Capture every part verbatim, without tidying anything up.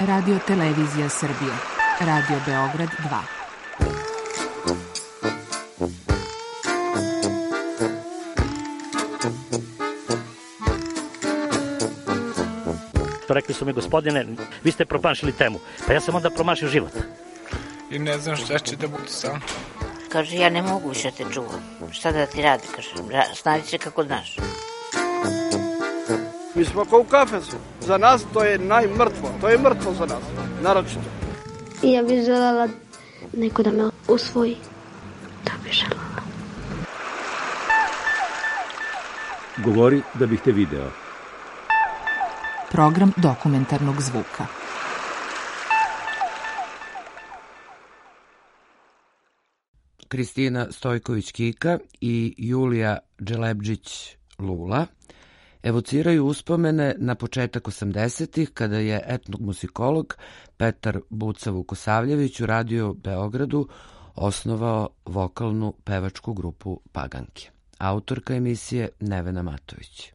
Radio Televizija Srbije. Radio Beograd dva. Rekli su mi, gospodine, vi ste promašili temu. Pa ja sam onda promašio život. I ne znam šta će da bude sam. Kaže, ja ne mogu više te čuvam. Šta da ti radi, kaže, snađi se kako znaš. Mi smo kao u kafesu. Za nas to je najmrtvo. To je mrtvo za nas, naročito. I ja bih želela neko da me usvoji. To bih želela. Govori da bih te video. Program dokumentarnog zvuka. Kristina Stojković-Kika i Julija Dželebdžić-Lula evociraju uspomene na početak osamdesetih kada je etnomuzikolog Petar Buca Vukosavljević u Radio Beogradu osnovao vokalnu pevačku grupu Paganke. Autorka emisije Nevena Matović.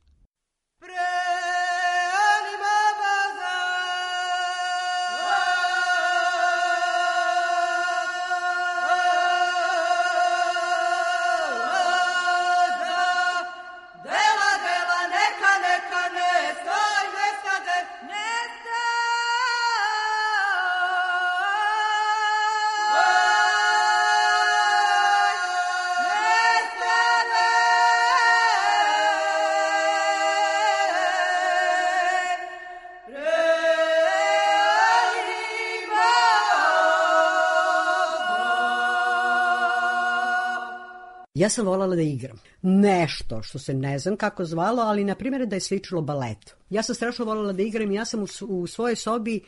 Ja sam voljela da igram. Nešto što se ne znam kako zvalo, ali na primjer da je sličilo baletu. Ja sam strašno voljela da igram i ja sam u, u svojoj sobi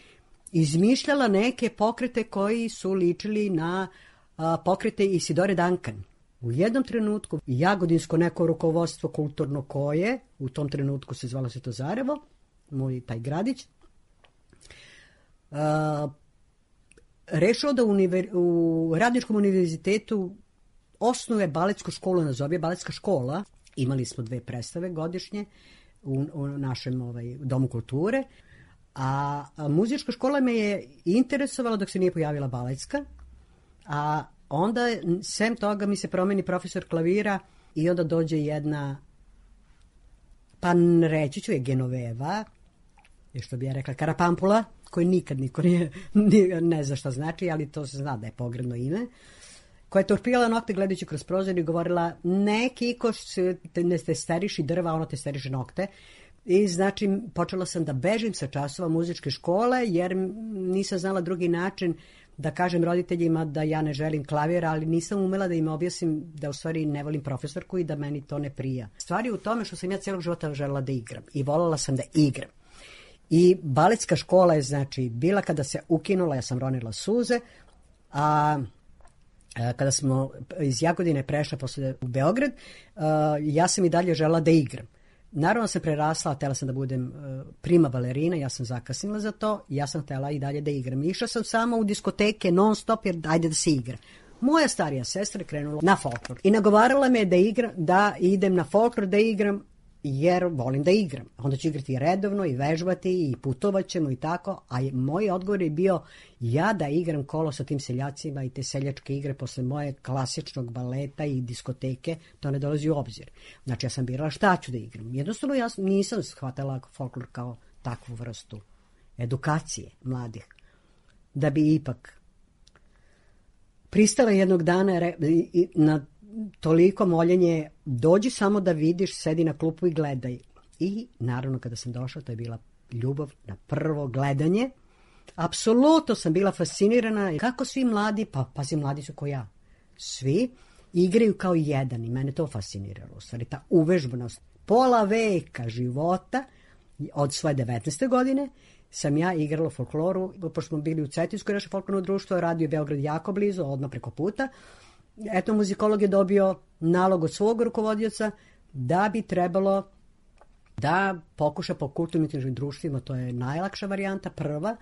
izmišljala neke pokrete koji su ličili na a, pokrete Isidore Duncan. U jednom trenutku jagodinsko neko rukovodstvo kulturno koje, u tom trenutku se zvalo Svetozarevo, moj taj gradić, a, rešao da univer, u Radničkom univerzitetu osnuje baletsku školu, nazove baletska škola. Imali smo dve predstave godišnje u, u našem ovaj, domu kulture. A, a muzička škola me je interesovala dok se nije pojavila baletska. A onda, sem toga, mi se promeni profesor klavira i onda dođe jedna, pa reći ću je Genoveva, je što bi ja rekla Karapampula, koji nikad niko nije, nije, ne zna šta znači, ali to se zna da je pogrebno ime, koja je torpirala nokte gledajući kroz prozor i govorila ne Kiko, ne testeriši drva, ono testeriše nokte. I znači počela sam da bežim sa časova muzičke škole jer nisam znala drugi način da kažem roditeljima da ja ne želim klavir, ali nisam umela da im objasnim da u stvari ne volim profesorku i da meni to ne prija. Stvari u tome što sam ja cijelog života želela da igram i voljela sam da igram. I baletska škola je znači bila kada se ukinula, ja sam ronila suze, a kada smo iz Jagodine prešla posle u Beograd, ja sam i dalje želela da igram. Naravno sam prerasla, htjela sam da budem prima balerina, ja sam zakasnila za to, ja sam htjela i dalje da igram. Išla sam samo u diskoteke non stop jer ajde da se igra. Moja starija sestra je krenula na folklor i nagovarala me da, igram, da idem na folklor da igram jer volim da igram. Onda ću igrati redovno i vežbati i putovat ćemo i tako, a moj odgovor je bio ja da igram kolo sa tim seljacima i te seljačke igre posle moje klasičnog baleta i diskoteke, to ne dolazi u obzir. Znači ja sam birala šta ću da igram. Jednostavno ja nisam shvatala folklor kao takvu vrstu edukacije mladih. Da bi ipak pristala jednog dana na toliko moljenje, dođi samo da vidiš, sedi na klupu i gledaj. I naravno kada sam došla, to je bila ljubav na prvo gledanje. Apsolutno sam bila fascinirana kako svi mladi, pa pazi mladi su ko ja, svi igraju kao jedan i mene to fasciniralo. U stvari ta uvežbanost. Pola veka života od svoje devetnaeste godine sam ja igrala folkloru, pošto smo bili u Cetinskoj naše folklorno društvo, Radio Beograd jako blizu, odmah preko puta. Eto, muzikolog je dobio nalog od svog rukovodioca da bi trebalo da pokuša po kulturno-umjetničkim društvima, to je najlakša varijanta, prva,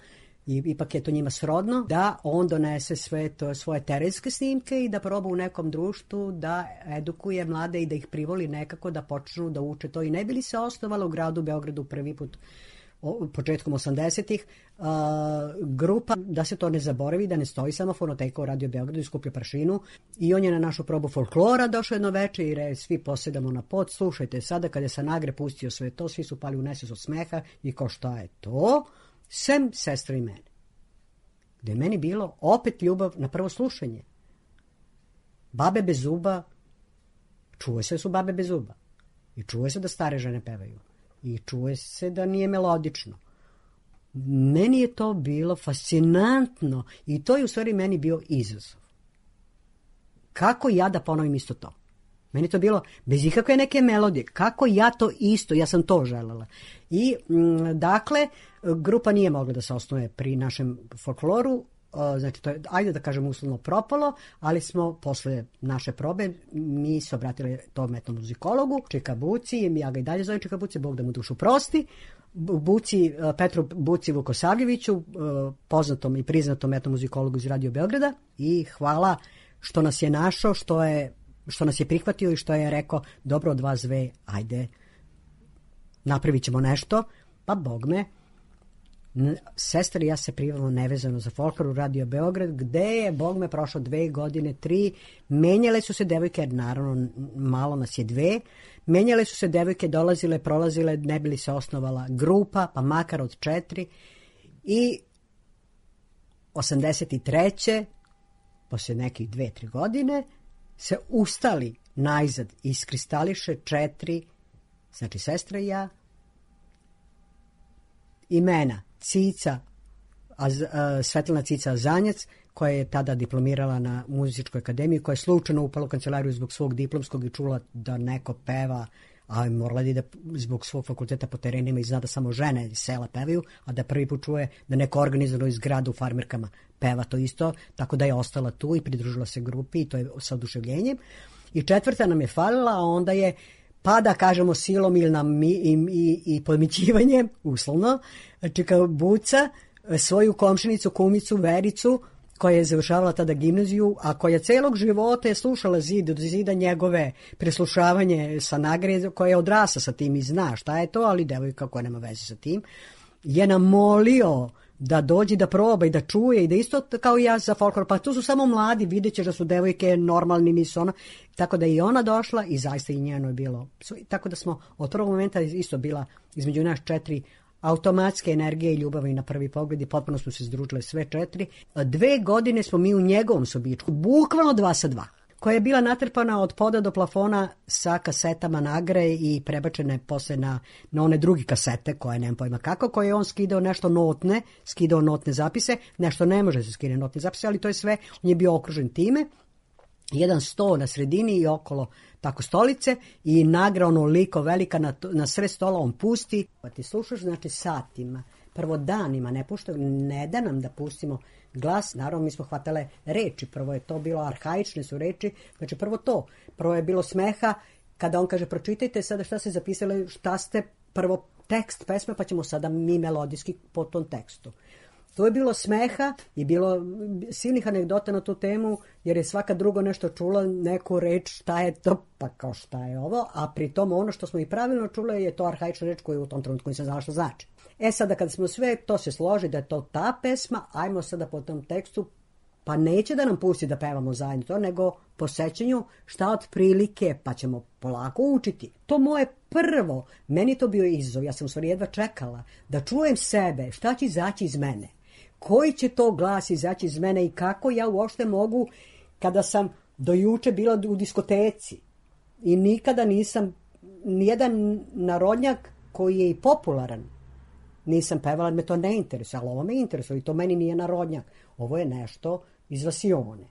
i ipak je to njima srodno, da on donese sve to, svoje terenske snimke i da proba u nekom društvu da edukuje mlade i da ih privoli nekako da počnu da uče to. I ne bi li se osnovala u gradu Beogradu prvi put o, početkom osamdesetih, uh, grupa, da se to ne zaboravi, da ne stoji samo fonoteka u Radio Beogradu i skuplja prašinu. I on je na našu probu folklora došao jedno veče i re, svi posedamo na pod, slušajte sada, kada je Sanagre pustio sve to, svi su pali u nesvijest od smeha i kao šta je to? Sem sestra i mene. Gde je meni bilo opet ljubav na prvo slušanje. Babe bez zuba, čuje se da su babe bez zuba. I čuje se da stare žene pevaju. I čuje se da nije melodično. Meni je to bilo fascinantno i to je u stvari meni bio izazov. Kako ja da ponovim isto to? Meni to bilo bez ikakve neke melodije. Kako ja to isto, ja sam to želela. I m, dakle, grupa nije mogla da se osnuje pri našem folkloru, znači to je, ajde da kažem, uslovno propalo, ali smo posle naše probe, mi se obratili tom etnomuzikologu, Čika Buci, ja ga i dalje zovem Čika Buci, Bog da mu dušu prosti, Buci, Petru Buci Vukosavljeviću, poznatom i priznatom etnomuzikologu iz Radio Beograda, i hvala što nas je našao, što je što nas je prihvatio i što je rekao, dobro od vas dve, ajde, napravit ćemo nešto, pa Bog me, sestra i ja se prijavimo nevezano za folklor u Radio Beograd, gde je, Bog me, prošlo dve godine, tri, menjale su se devojke, jer naravno malo nas je dve, menjale su se devojke, dolazile, prolazile, ne bi li se osnovala grupa, pa makar od četiri, i osamdeset treće posle nekih dve, tri godine, se ustali najzad, iskristališe četiri, znači sestra i ja, imena Cica, a, a, Svetlana Cica Zanjac, koja je tada diplomirala na muzičkoj akademiji, koja je slučajno upala u kancelariju zbog svog diplomskog i čula da neko peva, a morala da zbog svog fakulteta po terenima i zna da samo žene iz sela pevaju, a da prvi put čuje da neko organizovano iz grada u farmerkama peva to isto, tako da je ostala tu i pridružila se grupi i to je sa oduševljenjem. I četvrta nam je falila, a onda je, pa da kažemo silom ili nam mi, i, i, i podmićivanjem, uslovno, Čika Buca, svoju komšinicu, kumicu, Vericu, koja je završavala tada gimnaziju, a koja celog života je slušala zid od zida njegove preslušavanje sa Nagre, koja je odrasla sa tim i zna šta je to, ali devojka koja nema veze sa tim, je nam molio da dođe da proba i da čuje i da isto kao i ja za folklor, pa tu su samo mladi, vidjet ćeš da su devojke normalni, nisu ona, tako da i ona došla i zaista i njeno je bilo, tako da smo od prvog momenta isto bila između nas četiri automatske energije i ljubavi na prvi pogled i potpuno smo se združile sve četiri. Dve godine smo mi u njegovom sobičku, bukvalno dva sa dva, koja je bila natrpana od poda do plafona sa kasetama Nagre i prebačene posle na, na one drugi kasete, koje nemam pojma kako, koje je on skidao nešto notne, skidao notne zapise, nešto ne može se skine notne zapise, ali to je sve, on je bio okružen time, jedan sto na sredini i okolo tako stolice i Nagra onoliko velika na, na sred stola on pusti, pa ti slušaš znači satima, prvo danima ne pušta, ne da nam da pustimo glas, naravno mi smo hvatale reči, prvo je to bilo arhaične su reči, znači prvo to, prvo je bilo smeha kada on kaže pročitajte sada šta ste zapisali, šta ste, prvo tekst pesme pa ćemo sada mi melodijski po tom tekstu. To je bilo smeha i bilo silnih anegdota na tu temu, jer je svaka drugo nešto čula, neku reč, šta je to, pa kao šta je ovo, a pritom ono što smo i pravilno čule je to arhaična reč koju u tom trenutku nisam znala što znači. E sada kad smo sve to se složi da je to ta pesma, ajmo sada po tom tekstu, pa neće da nam pusti da pevamo zajedno to, nego po sećanju šta od prilike, pa ćemo polako učiti. To moje prvo, meni to bio izazov, ja sam u stvari jedva čekala da čujem sebe, šta će izaći iz mene. Koji će to glas izaći iz mene i kako ja uopšte mogu, kada sam do juče bila u diskoteci i nikada nisam, nijedan narodnjak koji je i popularan, nisam pevala, me to ne interesuje, ali ovo me interesuje i to meni nije narodnjak. Ovo je nešto iz vasione.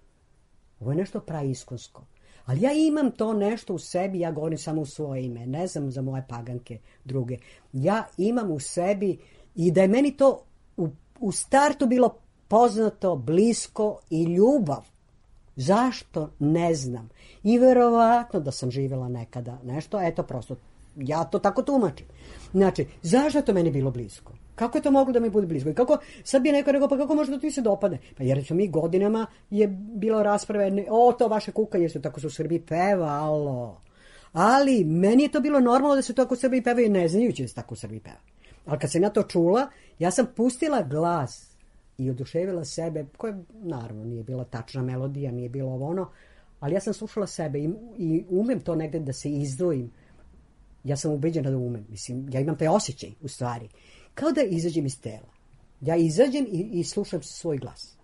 Ovo je nešto praiskonsko. Ali ja imam to nešto u sebi, ja govorim samo u svoje ime, ne znam za moje paganke druge. Ja imam u sebi i da je meni to u u startu bilo poznato, blisko i ljubav. Zašto? Ne znam. I verovatno da sam živjela nekada nešto, eto prosto, ja to tako tumačim. Znači, zašto je to meni bilo blisko? Kako je to moglo da mi bude blisko? I kako, sad bi neko rekao, pa kako može da ti se dopadne? Pa jer su mi godinama je bilo rasprave, o, to vaše kukanje su tako su u Srbiji pevalo. Ali meni je to bilo normalno da se to tako u Srbiji peva i ne znajući da se tako u Srbiji peva. Ali kad sam ja to čula, ja sam pustila glas i oduševila sebe, koja naravno nije bila tačna melodija, nije bilo ovo ono, ali ja sam slušala sebe i, i umem to negde da se izdvojim. Ja sam ubeđena da umem. Mislim, ja imam taj osjećaj, u stvari. Kao da izađem iz tela. Ja izađem i, i slušam svoj glas.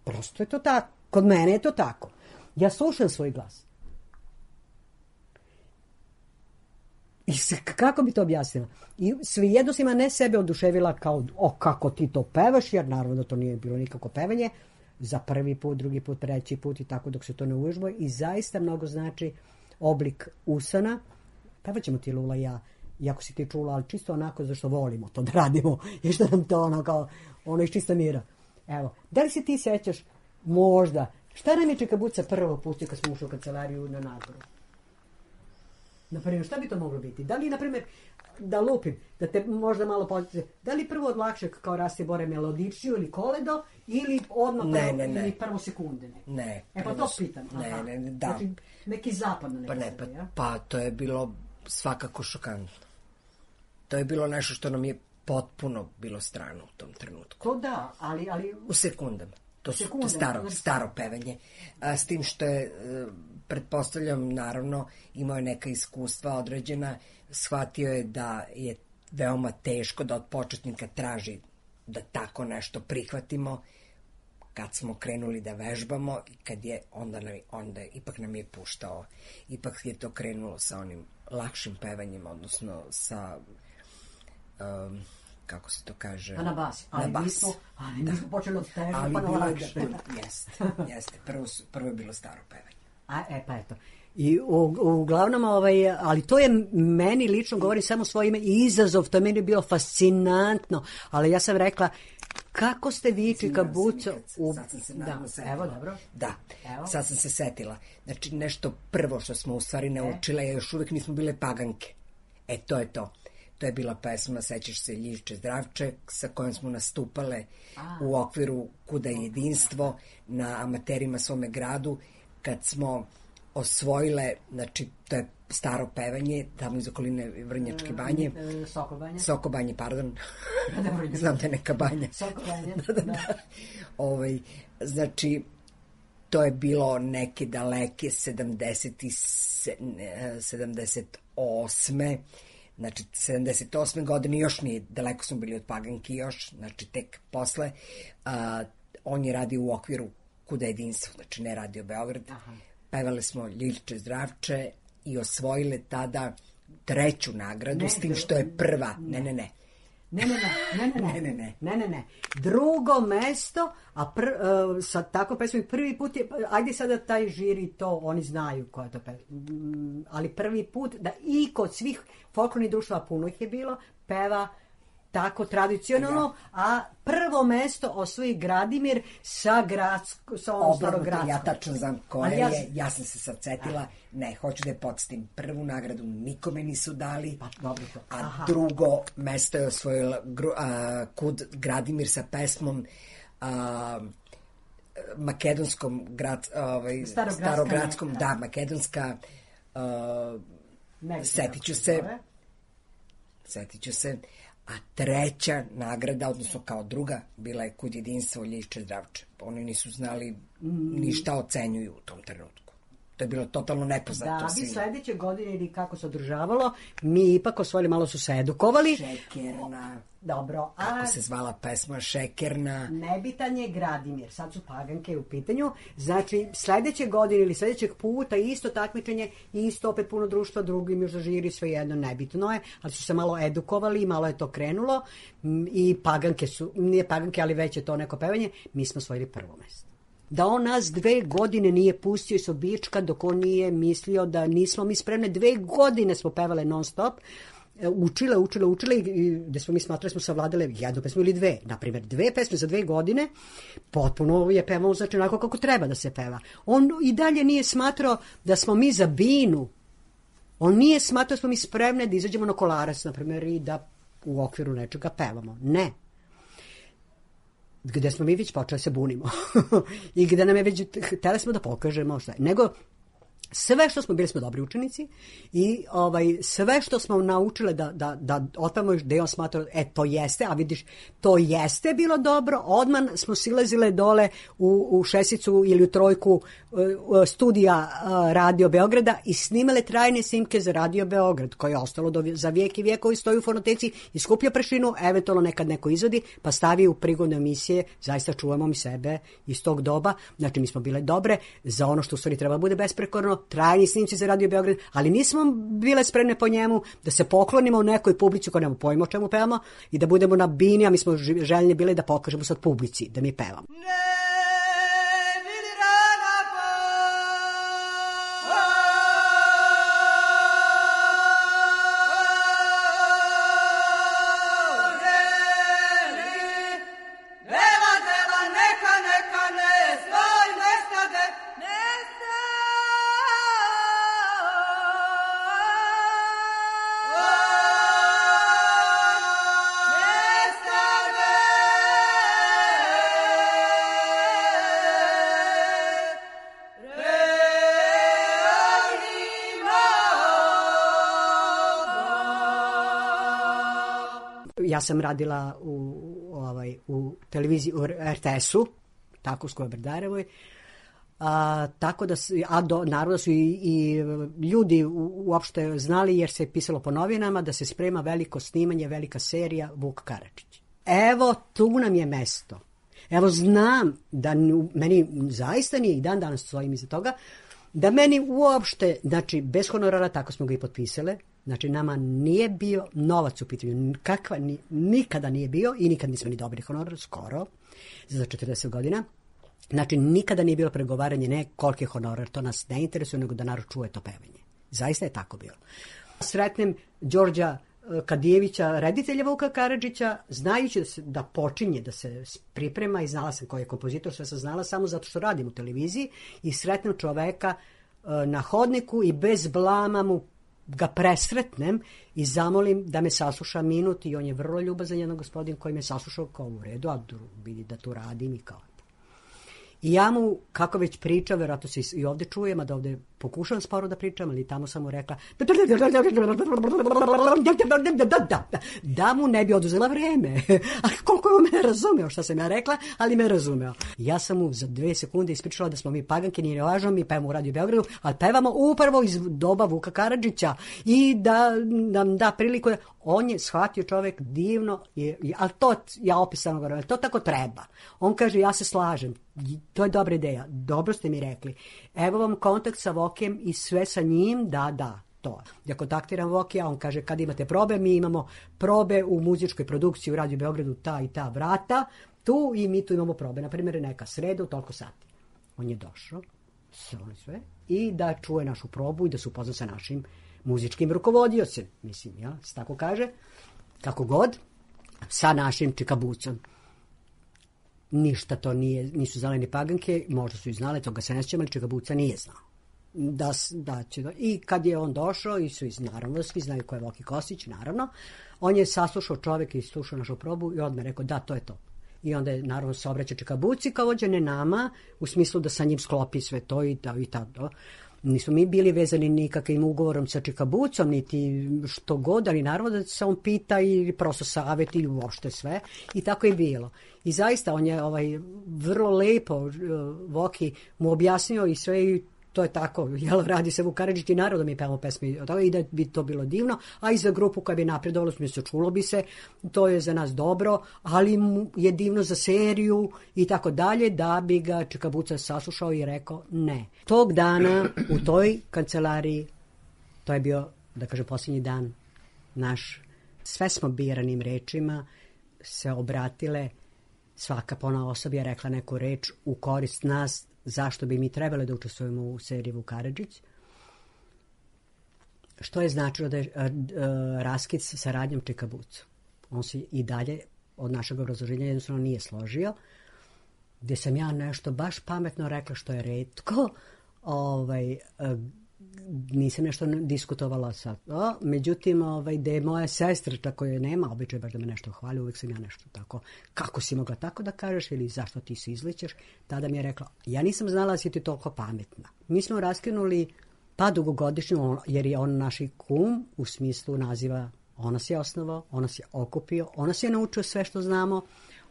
Prosto je to tako. Kod mene je to tako. Ja slušam svoj glas. I kako bi to objasnila? I svejedno sam ne sebe oduševila kao, o, kako ti to pevaš, jer naravno da to nije bilo nikako pevanje, za prvi put, drugi put, treći put i tako dok se to ne uvežba. I zaista mnogo znači oblik usana. Pevaćemo ti, Lula, ja, iako si ti čula, ali čisto onako zašto volimo to da radimo i što nam to ono kao, ono iz čista mira. Evo, da li se ti sećaš možda, šta nam je Čika Buca prvo pustio kad smo ušli u kancelariju na Nagoru? Naprimjer, šta bi to moglo biti? Da li, naprimjer, da lupim, da te možda malo podsjeti, da li prvo od lakšeg kao Rasti Bore melodičniju ili koledo, ili odmah ne, prvo, ne, ne. ili prvo sekunde? Ne, ne e pa to pitam. Ne, Aha. ne, ne, da. Znači, neki zapadno neki pa ne, pa, sebe, ja? pa to je bilo svakako šokantno. To je bilo nešto što nam je potpuno bilo strano u tom trenutku. To da, ali... ali... U sekundama. To su Sekunde, staro, znači. staro pevanje. A, s tim što je, pretpostavljam, naravno, imao je neka iskustva određena, shvatio je da je veoma teško da od početnika traži da tako nešto prihvatimo. Kad smo krenuli da vežbamo i kad je, onda, nam, onda je, ipak nam je puštao. Ipak je to krenulo sa onim lakšim pevanjem, odnosno sa... Um, kako se to kaže? Pa na bas. Ali na bas. Nismo, ali da. nismo počeli od teža, ali pa na lakše. Da, jeste, jeste. Prvo, prvo je bilo staro pevanje. A, e, pa eto. I u, uglavnom, ovaj, ali to je meni lično, govorim samo svoje ime, izazov, to je meni bilo fascinantno, ali ja sam rekla, kako ste vi, Čika Buca... U... Sad sam se da, setila. evo, dobro. Da, evo. Sad sam se setila. Znači, nešto prvo što smo u stvari naučile, e? još uvijek nismo bile paganke. E, to je to. To je bila pesma Sećaš se Ljišče Zdravče, sa kojom smo nastupale A. u okviru Kuda je jedinstvo na Amaterima svome gradu, kad smo osvojile, znači, to je staro pevanje, tamo iz okoline Vrnjačke banje. E, e, Sokobanje. Sokobanje, pardon. Znam da je neka banja. Sokobanje, da, da, da. Ovaj, znači, to je bilo neke daleke sedamdeset osme Znači, sedamdeset osme godine, još nije, daleko smo bili od paganki još, znači tek posle. A, on je radio u okviru Kuda je jedinstvo, znači ne Radio Beograd. Aha. Pevale smo Ljišče Zdravče i osvojile tada treću nagradu, ne, s tim što je prva. Ne, ne, ne. Ne, ne, ne, ne, ne, ne, ne, ne, ne, ne. Drugo mesto, a pr, uh, sa tako pesmom prvi put je, ajde sada taj žiri to, oni znaju koja je to pesma, mm, ali prvi put da i kod svih folklornih društva, puno ih je bilo, peva tako tradicionalno, ja. A prvo mesto osvoji Gradimir sa gradsko, sa ovom starogradskom. Ja tačno znam koja ja, je, ja sam se sad setila, a. ne, hoću da je podsjetim, prvu nagradu nikome nisu dali, pa, dobro to. A Aha. drugo mesto je osvojila gru, a, kud Gradimir sa pesmom a, makedonskom grad, ovaj, starogradskom, da, makedonska, a, setit ću se, setit ću se, a treća nagrada, odnosno kao druga, bila je Kud jedinstvo Ljišče Zdravče. Oni nisu znali ni šta ocenjuju u tom trenutku. To je bilo totalno nepoznato. Da bi sledeće godine ili kako se održavalo, mi ipak osvojili, malo su se edukovali. Šekerna. Dobro. A kako se zvala pesma, Šekerna. Nebitan je Gradimir. Sad su paganke u pitanju. Znači, sledeće godine ili sledećeg puta isto takmičenje, isto opet puno društva, drugim još žiri, sve jedno nebitno je, ali su se malo edukovali i malo je to krenulo i paganke su, nije paganke, ali već je to neko pevanje, mi smo osvojili prvo mesto. Da on nas dve godine nije pustio iz obička dok on nije mislio da nismo mi spremne. Dve godine smo pevale non stop, učile, učile, učile i gde smo mi smatrali smo savladale jednu pesmu ili dve. Naprimjer, dve pesme za dve godine, potpuno je pevao znači onako kako treba da se peva. On i dalje nije smatrao da smo mi za binu. On nije smatrao da smo mi spremne da izađemo na Kolarac, naprimjer, i da u okviru nečega pevamo. Ne. Gde smo mi već počeli se bunimo. I gde nam je već, hteli smo da pokažemo šta je. Nego, Sve što smo, bili smo dobri učenici i ovaj, sve što smo naučile da, da, da otpevamo, da je on smatrao, e, to jeste, a vidiš, to jeste bilo dobro, odmah smo silazile dole u, u šesticu ili u trojku studija Radio Beograda i snimale trajne snimke za Radio Beograd, koje je ostalo do, za vijek i vijek, koji stoji u fonoteci i skuplja prašinu, eventualno nekad neko izvodi, pa stavi u prigodne emisije, zaista čuvamo mi sebe iz tog doba, znači mi smo bile dobre za ono što u stvari treba bude besprekorno, trajni snimci za Radio Beograd, ali nismo bile spremne po njemu da se poklonimo u nekoj publici koja nema pojma o čemu pevamo i da budemo na bini, a mi smo željni bile da pokažemo sad publici da mi pevamo. Ja sam radila u, ovaj, u televiziji, u er te esu, tako u Skoje-Brdarevoj, a, tako da, a do, naravno da su i, i ljudi u, uopšte znali, jer se pisalo po novinama, da se sprema veliko snimanje, velika serija Vuk Karadžić. Evo, tu nam je mesto. Evo, znam da meni zaista nije i dan danas stojim iza toga, da meni uopšte, znači, bez honorara, tako smo ga i potpisale, znači, nama nije bio novac u pitanju, kakva, ni, nikada nije bio i nikad nismo ni dobili honorar, skoro, za četrdeset godina. Znači, nikada nije bilo pregovaranje, ne koliki je honorar, to nas ne interesuje, nego da narod čuje to pevanje. Zaista je tako bilo. Sretnem Đorđa Kadijevića, reditelja Vuka Karadžića, znajući da, se, da počinje, da se priprema i znala sam koji je kompozitor, sve sam znala samo zato što radim u televiziji i sretnem čoveka na hodniku i bez blama mu ga presretnem i zamolim da me sasluša minut i on je vrlo ljubazan jedan gospodin koji me saslušao kao u redu, a vidi da tu radim i kao. I ja mu, kako već priča, vjerojatno se i ovdje čujem, a da ovdje pokušam sporo da pričam, ali tamo sam mu rekla da mu ne bi oduzela vreme. A koliko je on me razumeo šta sam ja rekla, ali me razumeo. Ja sam mu za dve sekunde ispričala da smo mi paganke, nije važno, mi pevamo u Radio Beogradu, ali pevamo upravo iz doba Vuka Karadžića i da nam da priliku. On je shvatio čovjek divno, ali to, ja opisano govorim, to tako treba. On kaže, ja se slažem, to je dobra ideja, dobro ste mi rekli. Evo vam kontakt sa Vokijem i sve sa njim, da, da, to. Ja kontaktiram Vokija, on kaže, kad imate probe, mi imamo probe u muzičkoj produkciji u Radio Beogradu, ta i ta vrata, tu i mi tu imamo probe. Naprimjer, neka sreda u toliko sati. On je došao, sve, i da čuje našu probu i da se upozna sa našim muzičkim rukovodiocem, mislim, ja, se tako kaže, kako god, sa našim čikabucom. Ništa to nije, nisu znale ni paganke, možda su i znale, toga se ne sjećam, ali čikabuca nije znao. Da, da će, I kad je on došao, i su iz, naravno, svi znaju ko je Voki Kostić, naravno, on je saslušao čovjek i slušao našu probu i odmah rekao, da, to je to. I onda je, naravno, se obraća čikabuci kao vođe, ne nama, u smislu da sa njim sklopi sve to i da, i tada. Nismo mi bili vezani nikakvim ugovorom sa čikabucom, niti što god, ali naravno da se on pita i prosto savjet i uopšte sve. I tako je bilo. I zaista on je ovaj, vrlo lepo, Voki mu objasnio i sve i to je tako, jel, radi se Vuk Karadžić i naravno mi pevamo pesme i da bi to bilo divno, a i za grupu koja bi napredovala, se čulo bi se, to je za nas dobro, ali je divno za seriju i tako dalje, da bi ga čikabuca saslušao i rekao ne. Tog dana u toj kancelariji, to je bio, da kažem, posljednji dan naš, sve smo biranim rečima se obratile, svaka pona osoba je rekla neku reč u korist nas, zašto bi mi trebali da učestvujemo u seriji Vuk Karadžić, što je značilo da je a, a, raskid sa saradnjom čikabucu. On se i dalje od našeg obrazloženja jednostavno nije složio, gdje sam ja nešto baš pametno rekla što je retko, ovaj, a, nisam nešto diskutovala sa to, međutim, ovaj, da je moja sestra, tako je nema običaj baš da me nešto hvali, uvijek sam ja nešto tako, kako si mogla tako da kažeš ili zašto ti se izličeš, tada mi je rekla, ja nisam znala da si ti toliko pametna. Mi smo raskinuli pa dugogodišnju, jer je on naš kum u smislu naziva, on nas je osnovao, on nas je okupio, on nas je naučio sve što znamo,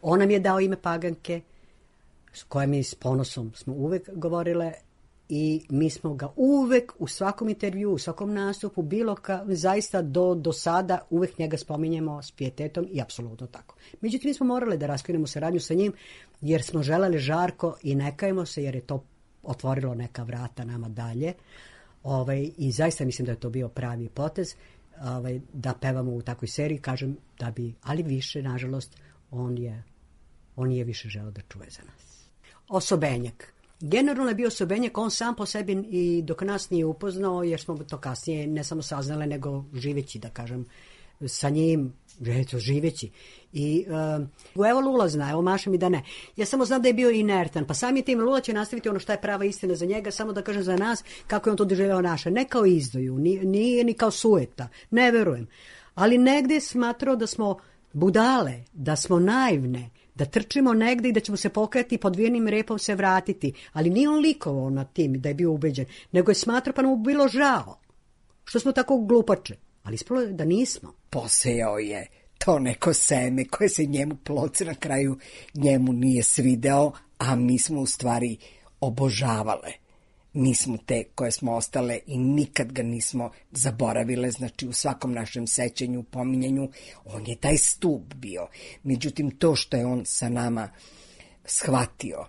on nam je dao ime Paganke, s kojim mi s ponosom smo uvek govorile, i mi smo ga uvek u svakom intervju, u svakom nastupu, bilo ka, zaista do, do sada uvek njega spominjemo s pijetetom i apsolutno tako. Međutim, mi smo morali da raskinemo saradnju sa njim jer smo želeli žarko i ne kajemo se jer je to otvorilo neka vrata nama dalje. Ovaj, I zaista mislim da je to bio pravi potez, ovaj, da pevamo u takvoj seriji, kažem da bi, ali više, nažalost, on je, on je više želeo da čuje za nas. Osobenjak. Generalno je bio Osobenjak, on sam po sebi i dok nas nije upoznao, jer smo to kasnije ne samo saznale, nego živeći, da kažem, sa njim, eto, živeći. I uh, evo Lula zna, evo Maša mi da ne. Ja samo znam da je bio inertan, pa samim tim Lula će nastaviti ono šta je prava istina za njega, samo da kažem za nas kako je on to doživeo naše. Ne kao izdaju, nije, nije ni kao sueta, ne verujem. Ali negde je smatrao da smo budale, da smo naivne, da trčimo negde i da ćemo se pokajati i pod vijenim repom se vratiti. Ali nije on likovao na tim da je bio ubeđen, nego je smatrao pa nam bilo žao što smo tako glupače. Ali ispalo je da nismo. Posejao je to neko seme koje se njemu ploce na kraju njemu nije svideo, a mi smo u stvari obožavale. Mi smo te koje smo ostale i nikad ga nismo zaboravile, znači u svakom našem sećanju, pominjanju, on je taj stup bio. Međutim, to što je on sa nama shvatio,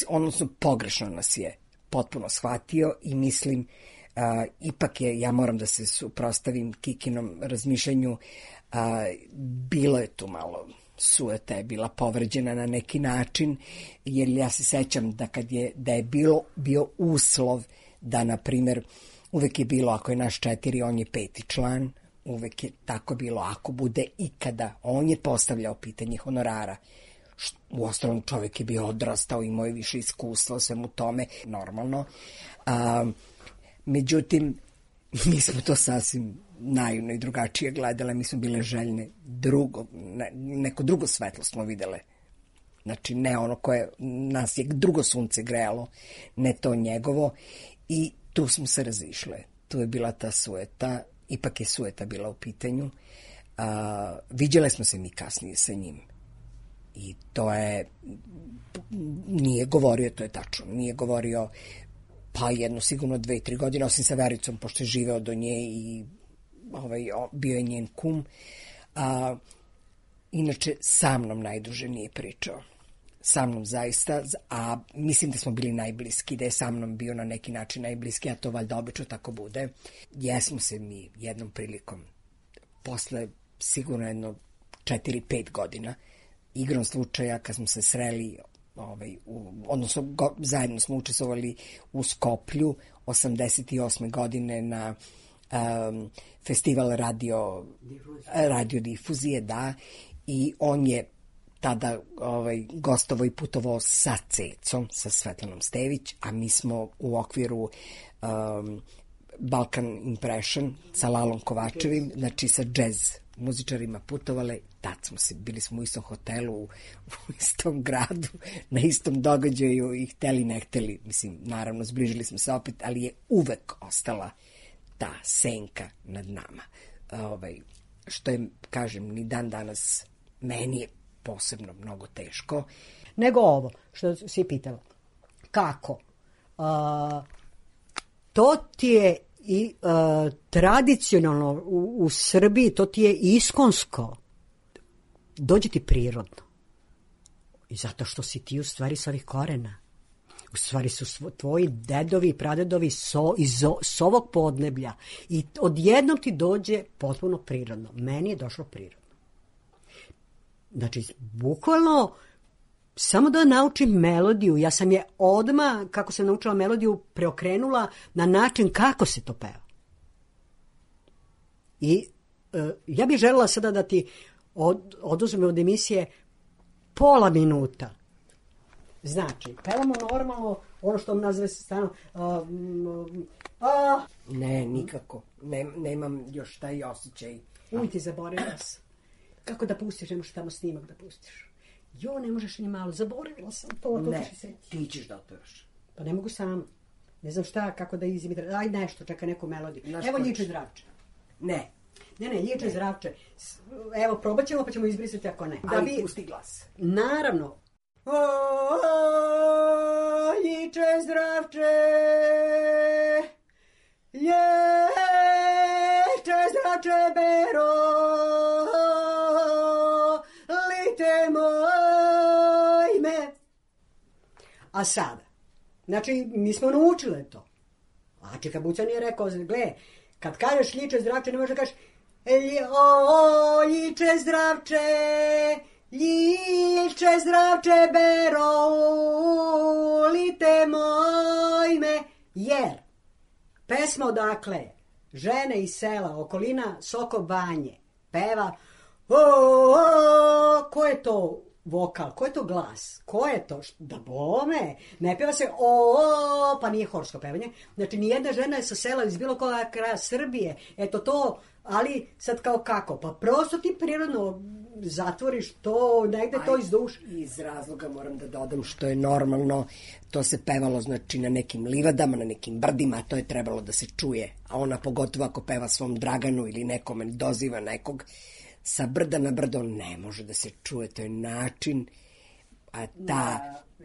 odnosno pogrešno nas je potpuno shvatio i mislim, Uh, ipak je, ja moram da se suprotstavim Kikinom razmišljanju, uh, bilo je tu malo sueta, je bila povređena na neki način, jer ja se sećam da kad je, da je bilo, bio uslov da, na primjer, uvek je bilo, ako je naš četiri, on je peti član, uvek je tako bilo, ako bude ikada, on je postavljao pitanje honorara. U ostalom čovjek je bio odrastao, imao je više iskustva svemu tome, normalno. Uh, Međutim, mi smo to sasvim naivno i drugačije gledale, mi smo bile željne drugo, ne, neko drugo svetlo smo videle. Znači, ne ono koje nas je drugo sunce grejalo, ne to njegovo, i tu smo se razišle. Tu je bila ta sueta, ipak je sueta bila u pitanju. Uh, viđale smo se mi kasnije sa njim. I to je, nije govorio, to je tačno, nije govorio pa jedno sigurno dve, tri godine, osim sa Vericom, pošto je živeo do nje i ovaj, bio je njen kum. A, inače, sa mnom najduže nije pričao. Sa mnom zaista, a mislim da smo bili najbliski, da je sa mnom bio na neki način najbliski, a to valjda obično tako bude. Jesmo se mi jednom prilikom, posle sigurno jedno četiri, pet godina, igrom slučaja kad smo se sreli, Ovaj, u, odnosno go, zajedno smo učestvovali u Skoplju osamdeset osme godine na um, festival radio, radio difuzije, da, i on je tada ovaj, gostovao i putovao sa Cecom, sa Svetlanom Stević, a mi smo u okviru um, Balkan Impression sa Lalom Kovačevim, znači sa džez muzičarima putovale, tad smo se, bili smo u istom hotelu, u, u istom gradu, na istom događaju i hteli ne hteli, mislim, naravno, zbližili smo se opet, ali je uvek ostala ta senka nad nama. Ovaj, što je, kažem, ni dan danas meni je posebno mnogo teško. Nego ovo, što si pitala. Kako? Uh, to ti je i uh, tradicionalno u, u Srbiji, to ti je iskonsko. Dođe ti prirodno. I zato što si ti u stvari s ovih korena. U stvari su svo, tvoji dedovi i pradedovi so, iz s ovog podneblja. I odjednom ti dođe potpuno prirodno. Meni je došlo prirodno. Znači, bukvalno, samo da naučim melodiju. Ja sam je odmah, kako sam naučila melodiju, preokrenula na način kako se to peva. I uh, ja bih željela sada da ti od, oduzmem od emisije pola minuta. Znači, pevamo normalno ono što nazve se stano... Uh, uh, ne, nikako. Ne, nemam još taj osjećaj. Uj, ti zaboravila sam. Kako da pustiš, ne možeš tamo snimak da pustiš. Jo, ne možeš ni malo, zaboravila sam to. Ne, ti ćeš da otvaraš. Pa ne mogu sam. Ne znam šta, kako da izimitirati. Aj nešto, čeka neku melodiju. Naš Evo koč. Ljiče Zdravče. Ne. Ne, ne, Ljiče Zdravče. S- Evo, probat ćemo pa ćemo izbrisati ako ne. Da bi... pusti glas. Naravno. O, Ljiče Zdravče, Ljiče Zdravče bero, lite moj me. A sada, znači, mi smo naučile to. A Čika Bucan je rekao, gle, kad kažeš Ljiče Zdravče, ne možeš da kažeš Lj- o, Ljiče Zdravče, Ljiče Zdravče bero, lite moj me. Jer, pesma odakle je, žene iz sela, okolina Soko Banje, peva, o, o, ko je to vokal, ko je to glas, ko je to, Š- da bome, ne peva se o, o, pa nije horsko pevanje, znači nijedna žena je sa sela iz bilo koja kraja Srbije, eto to, ali sad kao kako, pa prosto ti prirodno zatvoriš to, negde to iz duše. Iz razloga moram da dodam što je normalno, to se pevalo znači na nekim livadama, na nekim brdima, to je trebalo da se čuje, a ona pogotovo ako peva svom Draganu ili nekome doziva nekog, sa brda na brdo ne može da se čuje, to je način, a ta,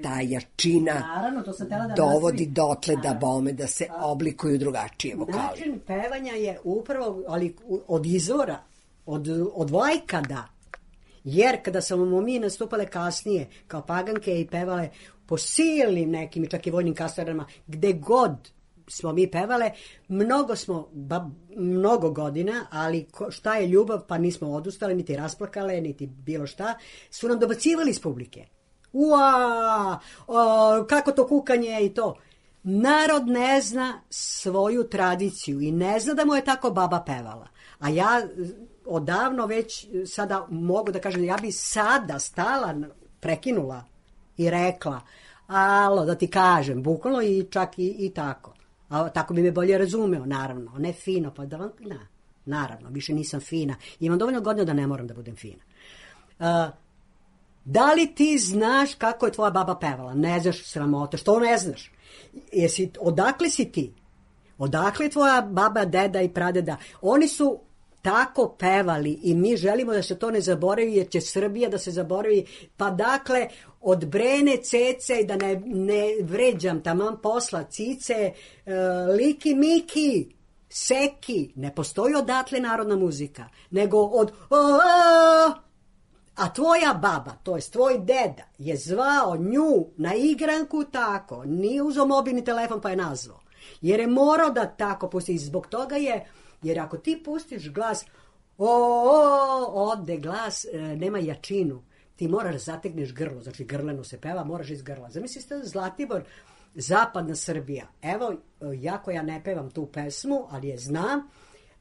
ta jačina Naravno, to sam tela da dovodi nastavi. dotle da bome da se oblikuju drugačije vokali. Način pevanja je upravo, ali u- od izvora, od, od vajkada. Jer kada smo mi nastupale kasnije, kao paganke i pevale po silnim nekim, i čak i vojnim kasarama, gde god smo mi pevale, mnogo smo, ba, mnogo godina, ali ko, šta je ljubav, pa nismo odustale, niti rasplakale, niti bilo šta, su nam dobacivali iz publike. Ua, o, kako to kukanje i to. Narod ne zna svoju tradiciju i ne zna da mu je tako baba pevala. A ja e, odavno već e, sada mogu da kažem, ja bi sada stala, n- prekinula i rekla, alo, da ti kažem, bukvalno i čak i, i tako. A tako bi me bolje razumeo, naravno. Ne fino, pa da vam, na, naravno, više nisam fina. Imam dovoljno godina da ne moram da budem fina. Uh, Da li ti znaš kako je tvoja baba pevala? Ne znaš, sramota. Što ne znaš? Jesi, odakle si ti? Odakle je tvoja baba, deda i pradeda? Oni su tako pevali i mi želimo da se to ne zaboravi jer će Srbija da se zaboravi. Pa dakle, od Brene, Cece, da ne, ne vređam taman posla, Cice, e, Liki, Miki, Seki, ne postoji odatle narodna muzika, nego od o, o, a tvoja baba, to jest tvoj deda, je zvao nju na igranku tako, nije uzeo mobilni telefon pa je nazvao. Jer je morao da tako pusti. I zbog toga je, jer ako ti pustiš glas, o, o, ode glas, e, nema jačinu. Ti moraš da zategneš grlo, znači grleno se peva, moraš iz grla. Zamislite Zlatibor, zapadna Srbija. Evo, ja koja ne pevam tu pesmu, ali je znam,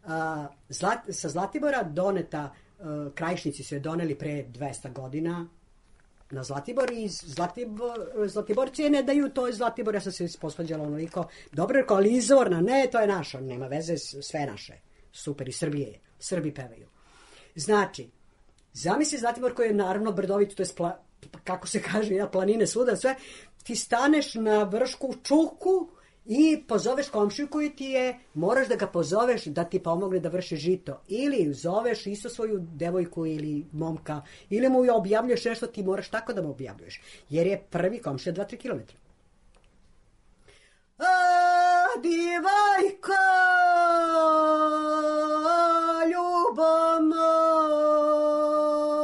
a, Zlat, sa Zlatibora doneta, a, Krajišnici su je doneli pre dvesta godina na Zlatibor i Zlatibor, Zlatiborci je ne daju, to je Zlatibor, ja sam se posvađala onoliko, dobro rekao, ali izvorna, ne, to je naša, nema veze, sve naše, super, i Srbije je, Srbi pevaju. Znači, zamisli Zlatibor koji je naravno brdovit, to je spla, kako se kaže, ja, planine svuda, sve, ti staneš na vršku čuku i pozoveš komšiju koji ti je, moraš da ga pozoveš da ti pomogne da vrši žito. Ili zoveš isto svoju devojku ili momka, ili mu objavljuješ nešto, ti moraš tako da mu objavljuješ. Jer je prvi komšija dva do tri kilometra. A, divajko, ljubav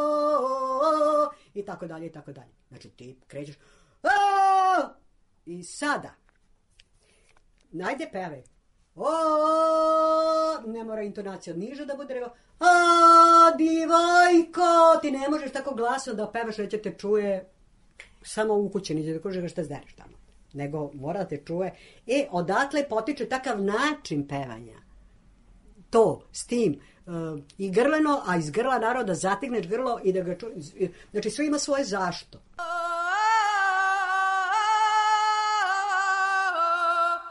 moja, i tako dalje, i tako dalje. Znači ti krećeš, a, i sada, najde pevaj. O, ne mora intonacija niža da bude, nego a, divajko, ti ne možeš tako glasno da pevaš, da će te čuje samo u kući, niđe da kože šta zdereš tamo. Nego mora da te čuje. E, odatle potiče takav način pevanja. To, s tim, uh, i grleno, a iz grla naroda zategneš grlo i da ga čuje. Znači, sve ima svoje zašto.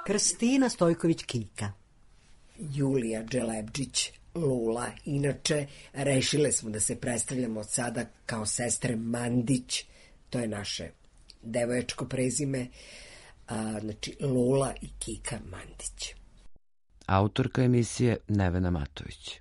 Krstina Stojković-Kiljka. Julija Dželebdžić Lula. Inače, rešile smo da se predstavljamo od sada kao sestre Mandić. To je naše devoječko prezime. a, znači Lola i Kika Mandić. Autorka emisije Nevena Matović.